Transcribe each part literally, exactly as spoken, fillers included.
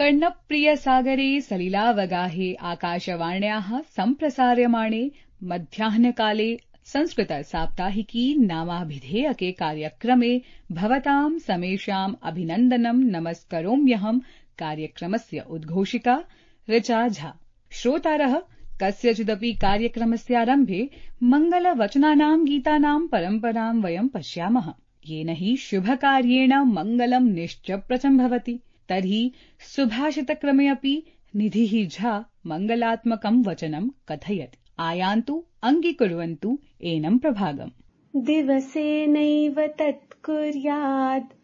कर्णप्रियसागरे सलिलावगाहे आकाशवाण्याः सम्प्रसार्यमाणे मध्याह्नकाले संस्कृतसाप्ताहिकी नामाभिधेयके कार्यक्रमे भवतां समेषाम् अभिनन्दनं नमस्करोम्यहम्। कार्यक्रमस्य उद्घोषिका ऋचा झा। श्रोतारः, कस्यचिदपि कार्यक्रमस्यारम्भे मङ्गलवचनानां गीतानां परम्परां वयं पश्यामः, येन हि शुभकार्येण मङ्गलं निश्चप्रचं भवति। तर्हि सुभाषितक्रमे अपि निधिः झा मङ्गलात्मकं वचनं कथयति। आयान्तु, अङ्गीकुर्वन्तु एनं प्रभागम्। दिवसेनैव तत् कुर्यात्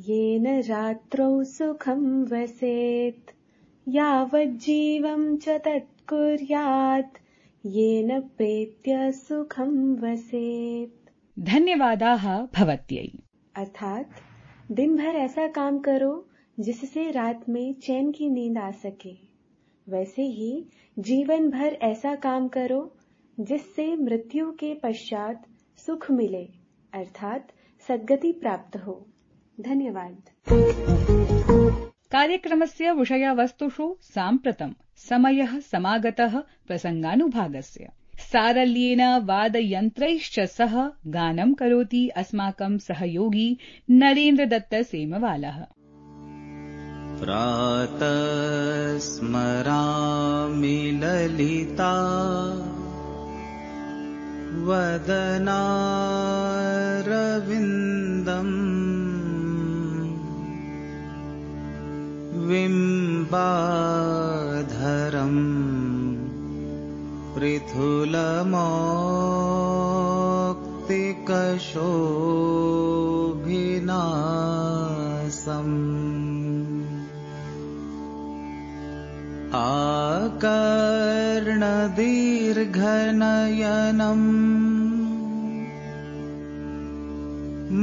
येन रात्रौ सुखं वसेत्, यावज्जीवं च तत् कुर्यात् येन प्रेत्य सुखं वसेत्। धन्यवादाः भवत्यै। अर्थात दिन भर ऐसा काम करो जिससे रात में चैन की नींद आ सके, वैसे ही जीवन भर ऐसा काम करो जिससे मृत्यु के पश्चात सुख मिले, अर्थात सद्गति प्राप्त हो। धन्यवाद। कार्यक्रमस्य विषयवस्तुषु साम्प्रतं समयः समागतः प्रसङ्गानुभागस्य। सारल्येन वादयन्त्रैश्च सह गानं करोति अस्माकं सहयोगी नरेन्द्रदत्त सेमवालः। प्रातः स्मरामि ललिता वदनारविन्दम्, बिम्बाधरम् पृथुलमौक्तिकशोभिनासम्, आकर्णदीर्घनयनम्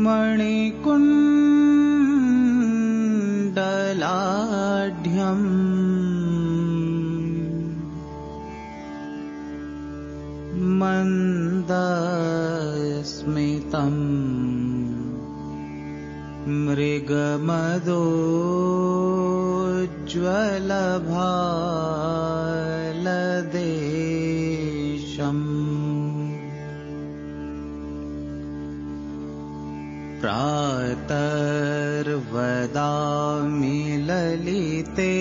मणिकुण्डलाढ्यम्, मन्दस्मितम् मृगमदोज्ज्वलभालदेशम्, प्रातर्वदामि ललिते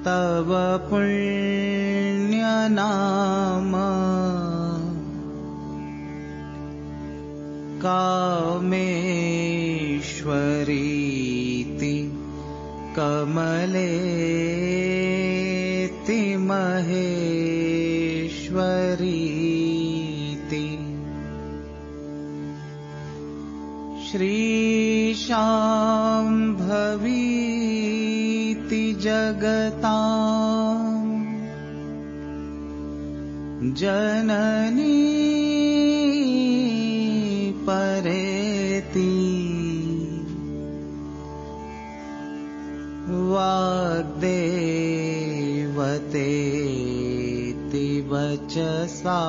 तव पुण्यनाम, कामेश्वरीति कमलेति महेश्वरीति, श्रीशाम्भवीति जगताम् जननी परेति, वाग्देवतेति वचसा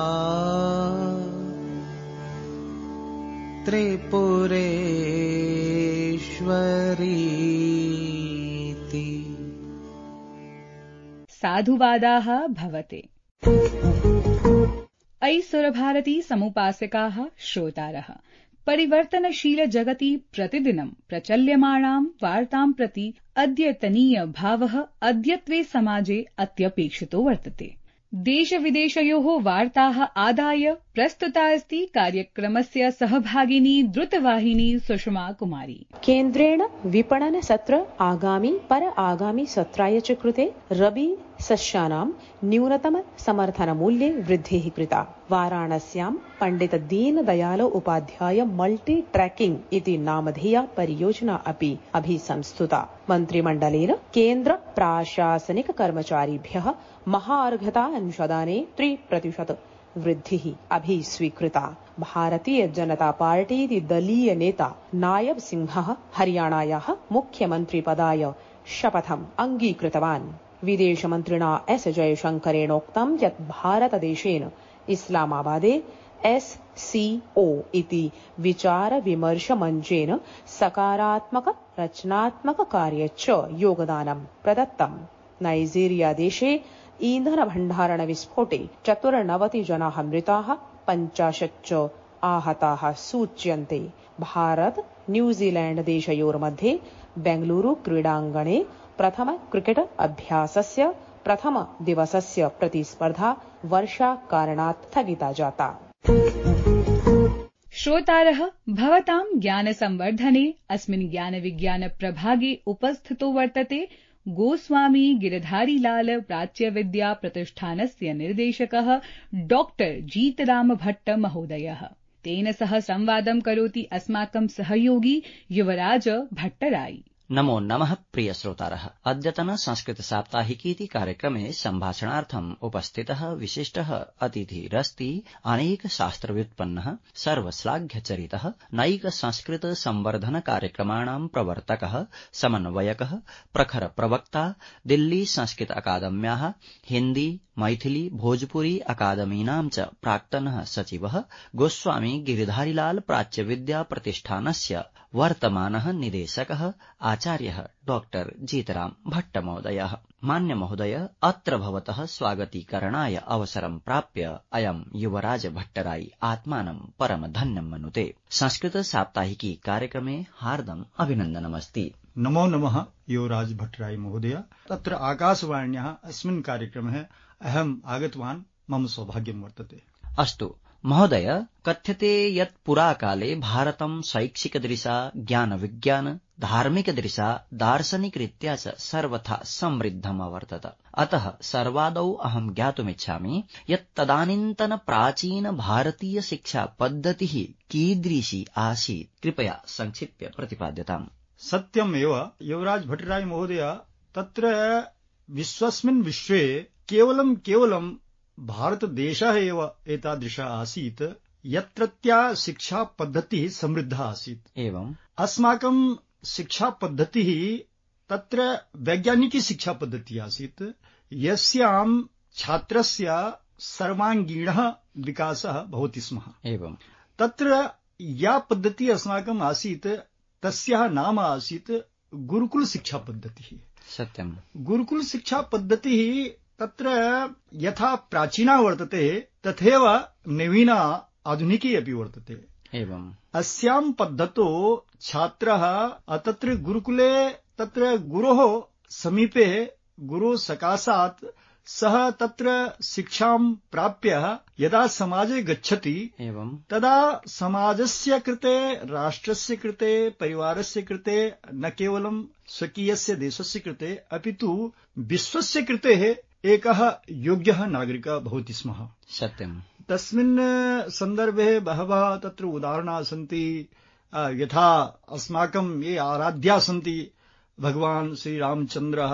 त्रिपुरेश्वरीति। साधुवादाः भवते। अयि सुरभारती समुपासकाः श्रोतारः, परिवर्तनशील जगति प्रतिदिनं प्रचल्यमाणां वार्तां प्रति अद्यतनीय भावः अद्यत्वे समाजे अत्यपेक्षितो वर्तते। देशविदेशयोः वार्ताः आदाय प्रस्तुता अस्ति कार्यक्रमस्य सहभागिनी द्रुतवाहिनी सुषमा कुमारी। केन्द्रेण विपणन सत्र आगामी पर आगामी सत्राय च कृते रबी सस्यानां न्यूनतम समर्थन मूल्ये वृद्धिः कृता। वाराणस्यां पंडित दीनदयाल उपाध्याय मल्टी ट्रैकिंग इति नामधेया परियोजना अपि अभिसंस्तुता। मन्त्रिमण्डलेन केन्द्र प्राशासनिक कर्मचारिभ्यः महार्घता अंशदाने त्रिप्रतिशत वृद्धिः अभिस्वीकृता। भारतीय जनता पार्टी दलीय नेता नायब सिंहः हरियाणायाः मुख्यमन्त्रिपदाय शपथम् अङ्गीकृतवान्। विदेशमन्त्रिणा एस जयशंकरेणोक्तं यत् भारतदेशेन इस्लामाबादे एस सी ओ इति विचार विमर्श मंचेन सकारात्मक रचनात्मक कार्ये च योगदानं प्रदत्तम्। नाइजीरिया देशे ईंधन भण्डारण विस्फोटे चतुर्नवति जनाः मृताः, पञ्चाशत् च आहताः सूच्यन्ते। भारत न्यूजीलैंड देशयोर्मध्ये बेंगलुरु क्रीडाङ्गणे प्रथम क्रिकेट अभ्यासस्य प्रथम दिवसस्य प्रतिस्पर्धा वर्षाकारणात् स्थगिता जाता। श्रोतारः, भवतां ज्ञानसंवर्धने अस्मिन् ज्ञानविज्ञान प्रभागे उपस्थितो वर्तते गोस्वामी गिरधारीलाल प्राच्यविद्या प्रतिष्ठानस्य निर्देशकः डॉक्टर जीतराम भट्ट महोदयः। तेन सह संवादं करोति अस्माकं सहयोगी युवराज भट्टराई। नमो नमः प्रिय श्रोतारः। अद्यतन संस्कृत साप्ताहिकीति कार्यक्रमे सम्भाषणार्थम् उपस्थितः विशिष्टः अतिथिरस्ति अनेक शास्त्रव्युत्पन्नः सर्वश्लाघ्यचरितः नैक संस्कृत संवर्धन कार्यक्रमाणां प्रवर्तकः समन्वयकः प्रखर प्रवक्ता दिल्ली संस्कृत अकादम्याः हिन्दी मैथिली भोजपुरी अकादमीनां च प्राक्तनः सचिवः गोस्वामी गिरिधारीलाल प्राच्यविद्या प्रतिष्ठानस्य वर्तमानः निदेशकः आचार्यः डॉक्टर जीतराम भट्ट महोदयः। मान्य महोदय, अत्र भवतः स्वागतीकरणाय अवसरं प्राप्य अयं युवराज भट्टराई आत्मानं परम धन्यं मनुते। संस्कृत साप्ताहिकी कार्यक्रमे हार्दम् अभिनन्दनमस्ति। नमो नमः युवराज भट्टराई महोदय। तत्र आकाशवाण्याः अस्मिन् कार्यक्रमे अहम् आगतवान्, मम सौभाग्यं वर्तते। अस्तु महोदय, कथ्यते यत् पुराकाले भारतं शैक्षिकदृशा ज्ञानविज्ञान धार्मिकदृशा दार्शनिकरीत्या च सर्वथा समृद्धम् अवर्तत। अतः सर्वादौ अहं ज्ञातुमिच्छामि यत् तदानीन्तन प्राचीन भारतीय शिक्षा पद्धतिः कीदृशी आसीत्। कृपया संक्षिप्य प्रतिपाद्यताम्। सत्यमेव युवराज भट्टराई महोदय, तत्र विश्वस्मिन् विश्वे केवलं केवलं भारतदेशः एव एतादृशः आसीत् यत्रत्या शिक्षा पद्धतिः समृद्धा आसीत्। एवम् अस्माकं शिक्षा पद्धतिः तत्र वैज्ञानिकी शिक्षा पद्धतिः आसीत्, यस्यां छात्रस्य सर्वाङ्गीणः विकासः भवति स्म। एवम् तत्र या पद्धतिः अस्माकम् आसीत् तस्याः नाम आसीत् गुरुकुल शिक्षा पद्धतिः। सत्यम्। गुरुकुल शिक्षा पद्धतिः तत्र यथा प्राचीना वर्तते तथैव नवीना आधुनिकी अपि वर्तते। एवम् अस्यां पद्धतौ छात्रः तत्र गुरुकुले तत्र गुरोः समीपे गुरोः सकाशात् सः तत्र शिक्षां प्राप्य यदा समाजे गच्छति एवम् तदा समाजस्य कृते, राष्ट्रस्य कृते, परिवारस्य कृते, न केवलं स्वकीयस्य देशस्य कृते अपितु विश्वस्य कृते एकः योग्यः नागरिकः भवति स्म। सत्यम्। तस्मिन् सन्दर्भे बहवः तत्र उदाहरणाः सन्ति। यथा अस्माकं ये आराध्याः सन्ति भगवान् श्रीरामचन्द्रः,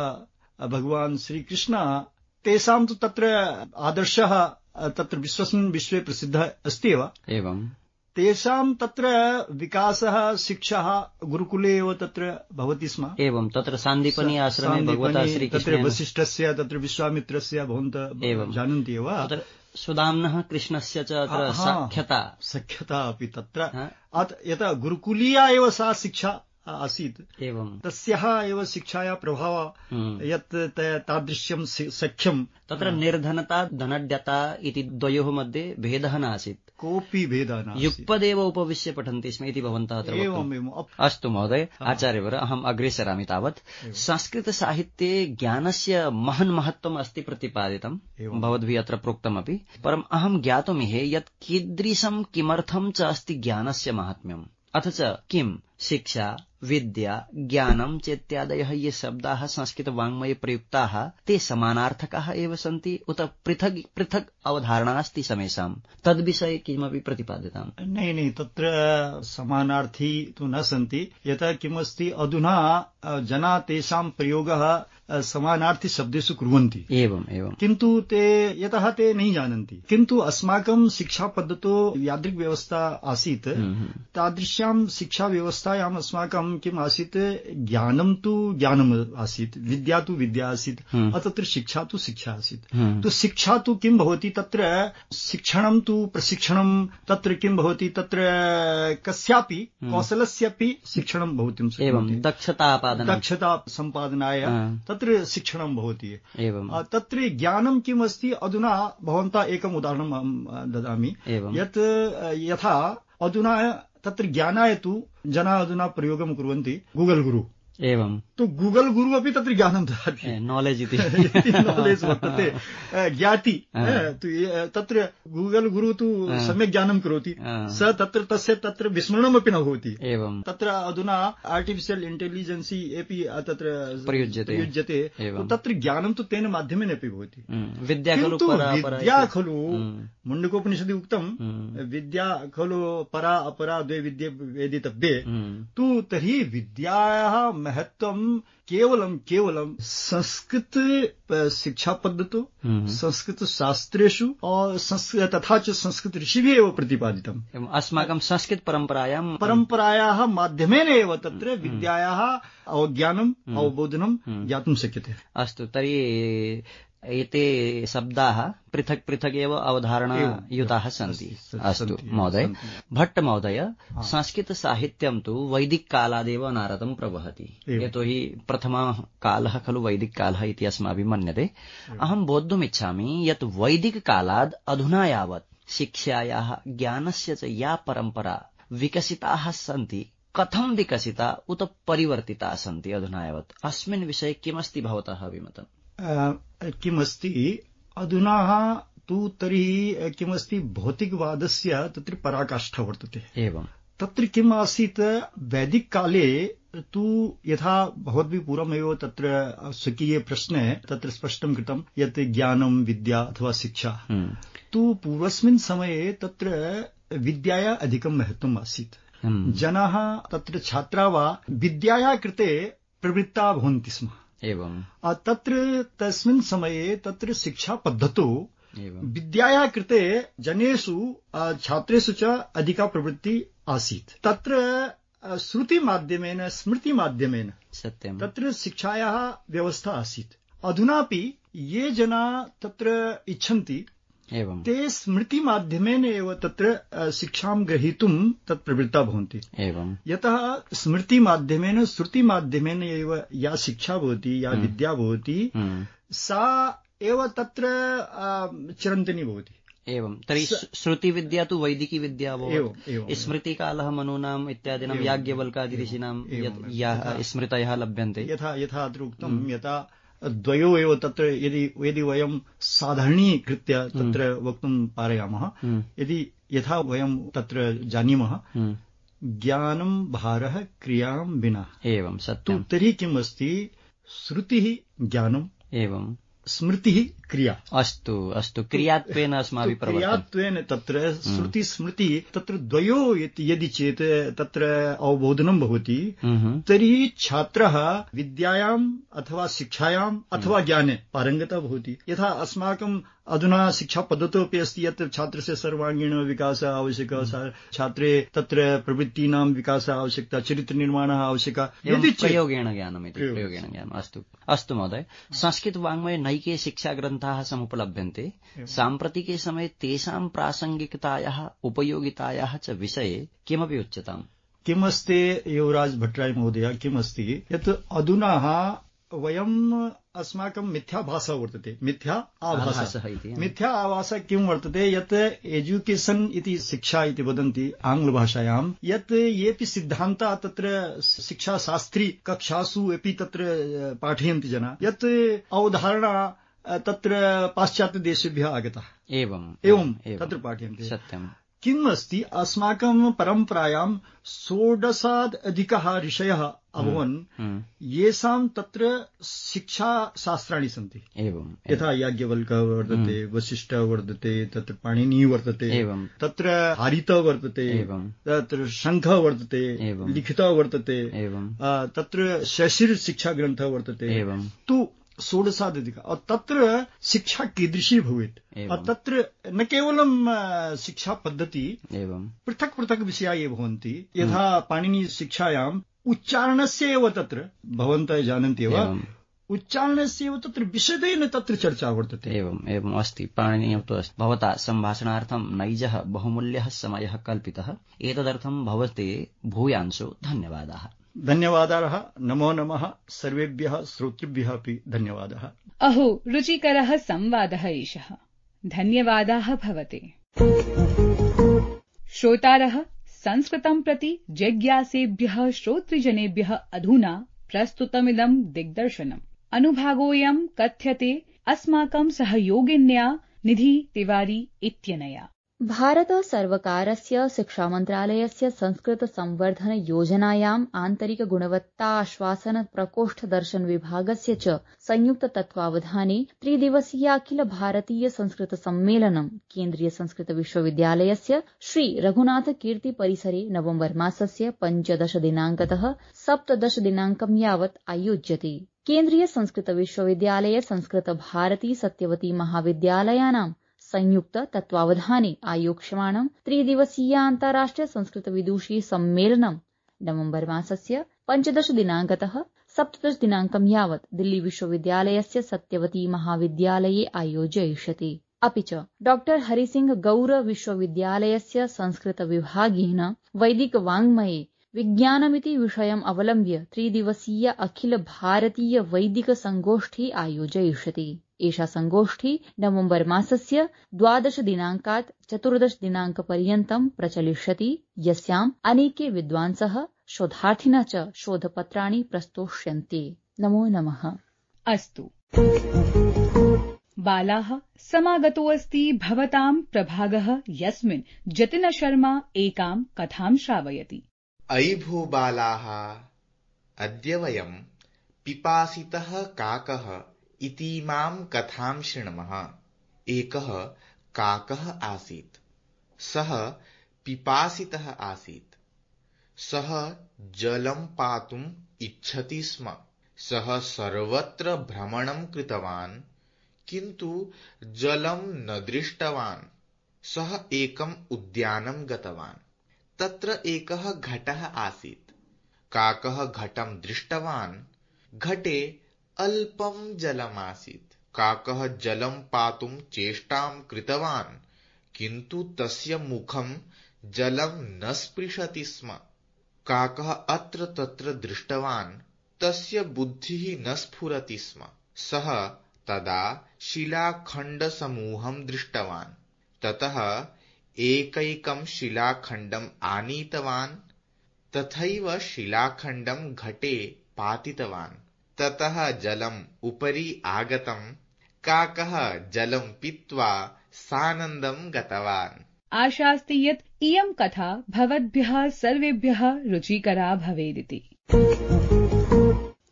भगवान् श्रीकृष्णः, तेषां तु तत्र आदर्शः तत्र विश्वस्मिन् विश्वे प्रसिद्धः अस्ति एव। एवम् तेषां तत्र विकासः शिक्षा गुरुकुले एव तत्र भवति स्म। एवं तत्र सान्दीपनी आश्रमे भगवता श्रीकृष्णेन तत्र वसिष्ठस्य तत्र विश्वामित्रस्य भवन्तः जानन्ति एव। तत्र सुदाम्नः कृष्णस्य च अत्र सख्यता सख्यता अपि तत्र यथा गुरुकुलीया एव सा शिक्षा आसीत्। एवं तस्याः एव शिक्षायाः प्रभावः यत् तादृश्यं सख्यं तत्र निर्धनता धनड्यता इति द्वयोः मध्ये भेदः नासीत्। कोऽपि भेदः नासीत्। युगपदेव उपविश्य पठन्ति स्म इति भवन्तः अत्र वक्तुम्। अस्तु महोदय, आचार्यवर, अहम् अग्रे सरामि तावत्। संस्कृतसाहित्ये ज्ञानस्य महन् महत्त्वम् अस्ति प्रतिपादितं, भवद्भिः अत्र प्रोक्तमपि। परम् अहं ज्ञातुमिहे यत् कीदृशं किमर्थं च अस्ति ज्ञानस्य माहात्म्यम्, अथ च किं शिक्षा विद्या ज्ञानं चेत्यादयः ये शब्दाः संस्कृतवाङ्मये प्रयुक्ताः ते समानार्थकाः एव सन्ति उत पृथक् पृथक् अवधारणा अस्ति समेषाम्, तद्विषये किमपि प्रतिपाद्यताम्। नै नै तत्र समानार्थी तु न सन्ति। यतः किमस्ति, अधुना जना तेषां प्रयोगः समानार्थी शब्देषु कुर्वन्ति। एवम् एवं किन्तु ते यतः ते न जानन्ति। किन्तु अस्माकं शिक्षा पद्धतौ यादृक् व्यवस्था आसीत्, तादृश्यां शिक्षा व्यवस्थायाम् अस्माकं पूर्वं किम् आसीत्, ज्ञानं तु ज्ञानम् आसीत्, विद्या तु विद्या आसीत्, तत्र शिक्षा तु शिक्षा आसीत्। तो शिक्षा तु किं भवति, तत्र शिक्षणं तु प्रशिक्षणं, तत्र किं भवति, तत्र कस्यापि कौशलस्यापि शिक्षणं भवितुं शक्नोति, दक्षता दक्षता सम्पादनाय तत्र शिक्षणं भवति। तत्र ज्ञानं किम् अस्ति, अधुना भवन्तः एकम् उदाहरणं ददामि, यत् यथा अधुना तत्र ज्ञानाय तु जनाः अधुना प्रयोगं कुर्वन्ति गूगल गुरु। एवं तो गूगल गुरु अपि तत्र ज्ञानं ददाति, नालेज् इति नालेज् वर्तते, ज्ञाति। तत्र गूगल गुरु तु सम्यक् ज्ञानं करोति, स तत्र तस्य तत्र विस्मरणमपि न भवति। एवं तत्र अधुना आर्टिफिशियल् इंटेलिजेन्सी अपि तत्र प्रयुज्यते प्रयुज्यते, तत्र ज्ञानं तु तेन माध्यमेन अपि भवति। विद्या खलु विद्या खलु मुण्डकोपनिषदि उक्तं, विद्या खलु परा अपरा द्वे विद्ये वेदितव्ये। तु तर्हि विद्यायाः महत्वं केवलं केवलं संस्कृत शिक्षा पद्धतौ, संस्कृत शास्त्रेषु और तथा च संस्कृत ऋषिभिः एव प्रतिपादितम्। अस्माकं संस्कृत परम्परायां परम्परायाः माध्यमेन एव तत्र विद्यायाः अवज्ञानं अवबोधनं ज्ञातुं शक्यते। अस्तु, तर्हि एते शब्दाः पृथक् पृथक् एव अवधारणायुताः सन्ति। अस्तु महोदय, भट्ट महोदय, संस्कृतसाहित्यं तु वैदिककालादेव अनारतं प्रवहति, यतोहि प्रथमः कालः खलु वैदिककालः इति अस्माभिः मन्यते। अहं बोद्धुमिच्छामि यत् वैदिककालाद् अधुना यावत् शिक्षायाः ज्ञानस्य च या परम्परा विकसिताः सन्ति, कथं विकसिता उत परिवर्तिता सन्ति अधुना यावत्, अस्मिन् विषये किमस्ति भवतः अभिमतम्? किमस्ति अधुना तु तर्हि किमस्ति, भौतिकवादस्य तत्र पराकाष्ठा वर्तते। एवं तत्र किम् आसीत्, वैदिककाले तु यथा भवद्भिः पूर्वमेव तत्र स्वकीये प्रश्ने तत्र स्पष्टं कृतं यत् ज्ञानं विद्या अथवा शिक्षा, तु पूर्वस्मिन् समये तत्र विद्याया अधिकं महत्त्वम् आसीत्। जनाः तत्र छात्राः वा विद्याया कृते प्रवृत्ताः भवन्ति स्म। एवं तत्र तस्मिन् समये तत्र शिक्षा पद्धतौ विद्याया कृते जनेषु छात्रेषु च अधिका प्रवृत्ति आसीत्। तत्र श्रुतिमाध्यमेन स्मृतिमाध्यमेन सत्यं तत्र शिक्षायाः व्यवस्था आसीत्। अधुनापि ये जनाः तत्र इच्छन्ति एवं ते स्मृतिमाध्यमेन एव तत्र शिक्षां ग्रहीतुं तत् प्रवृत्ता भवन्ति। एवं यतः स्मृतिमाध्यमेन श्रुतिमाध्यमेन एव या शिक्षा भवति, या विद्या भवति, सा एव तत्र चिरन्तनी भवति। एवं तर्हि श्रुतिविद्या तु वैदिकी विद्या भवति। स्मृतिकालः मनूनाम् इत्यादीनां याज्ञवल्कादिऋषीणां याः स्मृतयः लभ्यन्ते। यथा यथा अत्र उक्तं, यथा द्वयो एव तत्र यदि यदि वयं साधारणीकृत्य तत्र वक्तुं पारयामः, यदि यथा वयं तत्र जानीमः, ज्ञानं भारः क्रियां विना। एवं सत्यं। तर्हि किम् अस्ति, श्रुतिः ज्ञानं, एवं स्मृतिः क्रिया। अस्तु अस्तु, क्रियात्वेन अस्माभिः प्रवर्तते। क्रियात्वेन तत्र श्रुति स्मृति तत्र द्वयो यदि चेत् तत्र अवबोधनं भवति, तर्हि छात्रः विद्यायाम् अथवा शिक्षायाम् अथवा ज्ञाने पारङ्गतः भवति। यथा अस्माकं अधुना शिक्षा पद्धतौ अपि अस्ति यत् छात्रस्य सर्वाङ्गीण विकासः आवश्यकः, छात्रे तत्र प्रवृत्तीनां विकासः आवश्यकता, चरित्रनिर्माणः आवश्यकः, यदि प्रयोगेण ज्ञानमिति प्रयोगेण ज्ञानम्। अस्तु अस्तु महोदय, संस्कृतवाङ्मये नैके शिक्षाग्रन्थाः समुपलभ्यन्ते। साम्प्रतिके समये तेषां प्रासङ्गिकतायाः उपयोगितायाः च विषये किमपि उच्यताम्? किमस्ति युवराज भट्टराय महोदय, किमस्ति यत् अधुना वयम् अस्माकं मिथ्याभासः वर्तते, मिथ्या आभासः। मिथ्या आभासः किं वर्तते, यत् एजुकेशन् इति शिक्षा इति वदन्ति आङ्ग्लभाषायां, यत् येऽपि सिद्धान्ताः तत्र शिक्षाशास्त्री कक्षासु अपि तत्र पाठयन्ति जनाः, यत् अवधारणा तत्र पाश्चात्यदेशेभ्यः आगतः। एवं एवं तत्र पाठयन्ति। सत्यम्। किम् अस्ति, अस्माकं परम्परायां षोडशात् अधिकाः ऋषयः अभवन्, येषां तत्र शिक्षाशास्त्राणि सन्ति। एवं यथा याज्ञवल्क्यः वर्तते, वसिष्ठः वर्तते, तत्र पाणिनिः वर्तते, एवं तत्र हारितः वर्तते, एवं तत्र शङ्खः वर्तते, एवं लिखितः वर्तते, एवं तत्र शशिर् शिक्षाग्रन्थः वर्तते। एवं तु षोडशाधिक तत्र शिक्षा कीदृशी भवेत्, तत्र न केवलं शिक्षा पद्धति, एवं पृथक् पृथक् विषयाः ये भवन्ति। यथा पाणिनि शिक्षायाम् उच्चारणस्य एव तत्र भवन्तः जानन्ति एव उच्चारणस्य एव तत्र विशदेन तत्र चर्चा वर्तते। एवम् एवम् अस्ति, पाणिनीयं तु अस्ति। भवता सम्भाषणार्थं नैजः बहुमूल्यः समयः कल्पितः, एतदर्थं भवते भूयांशो धन्यवादाः। धन्यवादाः, नमो नमः सर्वेभ्यः श्रोतृभ्यः अपि धन्यवादः। अहो रुचिकरः संवादः एषः, धन्यवादाः भवते। श्रोतारः, संस्कृतं प्रति जिज्ञासेभ्यः श्रोतृजनेभ्यः अधुना प्रस्तुतमिदं दिग्दर्शनम्। अनुभागोऽयं कथ्यते अस्माकं सहयोगिन्या निधि तिवारी इत्यनया। भारत सर्वकारस्य शिक्षामन्त्रालयस्य संस्कृत संवर्धन योजनायाम् आन्तरिक गुणवत्ता आश्वासन प्रकोष्ठ दर्शन विभागस्य च संयुक्त तत्त्वावधाने त्रिदिवसीयाखिल भारतीय संस्कृत सम्मेलनं केन्द्रीय संस्कृत विश्वविद्यालयस्य श्री रघुनाथ कीर्ति परिसरे नवम्बर मासस्य पञ्चदश दिनाङ्कतः सप्तदश दिनाङ्कं यावत् आयोज्यते। केन्द्रीय संस्कृत विश्वविद्यालय संस्कृत भारती सत्यवती महाविद्यालयानां संयुक्त तत्त्वावधाने आयोक्ष्यमाणं त्रिदिवसीय अन्ताराष्ट्रिय संस्कृत विदुषी सम्मेलनं नवम्बर मासस्य पञ्चदश दिनाङ्कतः सप्तदश दिनाङ्कं यावत् दिल्ली विश्वविद्यालयस्य सत्यवती महाविद्यालये आयोजयिष्यते। अपि च डॉक्टर हरिसिंह गौर विश्वविद्यालयस्य संस्कृत विभागेन वैदिक वाङ्मये विज्ञानमिति विषयम् अवलम्ब्य त्रिदिवसीय अखिल भारतीय वैदिक संगोष्ठी आयोजयिष्यते। एषा संगोष्ठी नवम्बर मासस्य द्वादश दिनाङ्कात् चतुर्दश दिनाङ्कपर्यन्तं प्रचलिष्यति, यस्याम् अनेके विद्वांसः शोधार्थिनः च शोधपत्राणि प्रस्तोष्यन्ते। नमो नमः। अस्तु बालाः, समागतोऽस्ति भवतां प्रभागः, यस्मिन् जतिन शर्मा एकां कथां श्रावयति। अयि भो बालाः, अद्य वयं पिपासितः काकः इतीमां कथां शृण्मः। एकः काकः आसीत्। सः पिपासितः आसीत्। सः जलं पातुम् इच्छति स्म। सः सर्वत्र भ्रमणं कृतवान्, किन्तु जलं न दृष्टवान्। सः एकम् उद्यानं गतवान्। तत्र एकः घटः आसीत्। काकः घटं दृष्टवान्। घटे अल्पं जलमासीत्। काकः जलं पातुं चेष्टां कृतवान्, किन्तु तस्य मुखं जलं न स्पृशति स्म। काकः अत्र तत्र दृष्टवान्, तस्य बुद्धिः न स्फुरति स्म। सः तदा शिलाखण्डसमूहं दृष्टवान्। ततः एकैकं शिलाखण्डम् आनीतवान्, तथैव शिलाखण्डं घटे पातितवान्। ततः जलम् उपरि आगतम्। काकः जलं पीत्वा सानन्दं गतवान्। आशास्ति यत् इयं कथा भवद्भ्यः सर्वेभ्यः रुचिकरा भवेदिति।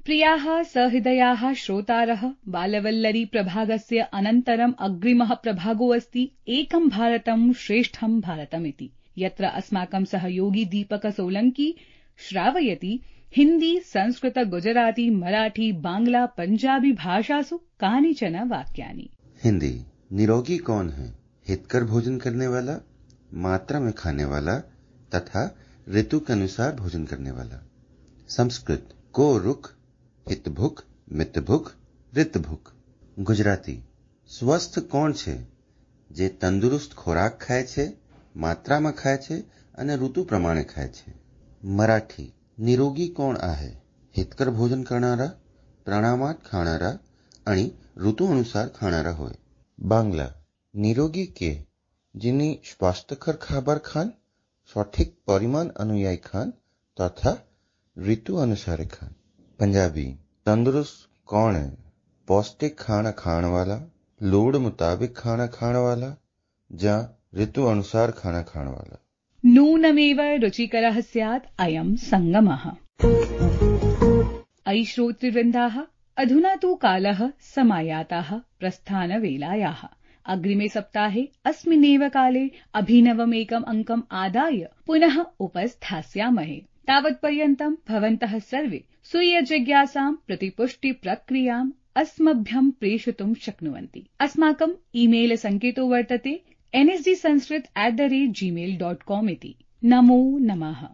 प्रियाः सहृदयाः श्रोतारः, बालवल्लरी प्रभागस्य अनन्तरम् अग्रिमः प्रभागो अस्ति एकं भारतं श्रेष्ठं भारतमिति, यत्र अस्माकं सहयोगी दीपक सोलंकी श्रावयति हिन्दी, संस्कृत, गुजराती, मराठी, बांग्ला, पंजाबी भाषासु कानिचन वाक्यानि। हिंदी, निरोगी कौन है? हितकर भोजन करने वाला, मात्रा में खाने वाला तथा ऋतु के अनुसार भोजन करने वाला। संस्कृत, को रुख, हित भूख, मित भूख, ऋत भूख। गुजराती, स्वस्थ कोण છે? જે તંદુરસ્ત ખોરાક ખાય છે, માત્રામાં ખાય છે અને ઋતુ પ્રમાણે ખાય છે. મરાઠી, નિરોગી કોણ आहे? हितकर भोजन करणारा, પ્રમાણમાં ખાનારા અને ઋતુ અનુસાર ખાનારા હોય. બાંગ્લા, નિરોગી કે যিনি સ્વાસ્થ્યકર ખાবার ખાન, સঠিક પરિમાણ અનુયાયી ખાન તથા ઋતુ અનુસારે ખાન. पंजाबी, तंदुरुस्त कौन है? पौष्टिक खाना खाने वाला, लोड़ मुताबिक खाना खाने वाला, जहाँ ऋतु अनुसार खाना खाने वाला. नूनमेव रुचिकरः स्यात् अयं संगमः। अयि श्रोतृवृन्दाः, अधुना तु कालः समायाताः प्रस्थानवेलायाः। अग्रिमे सप्ताहे अस्मिन्नेव काले अभिनवमेकम् अङ्कम् आदाय पुनः उपस्थास्यामहे। तावत्पर्यन्तं भवन्तः सर्वे स्वीयजिज्ञासां प्रतिपुष्टिप्रक्रियाम् अस्मभ्यं प्रेषयितुं शक्नुवन्ति। अस्माकम् ईमेल सङ्केतो वर्तते N S D Sanskrit at the rate Gmail dot com इति। नमो नमः।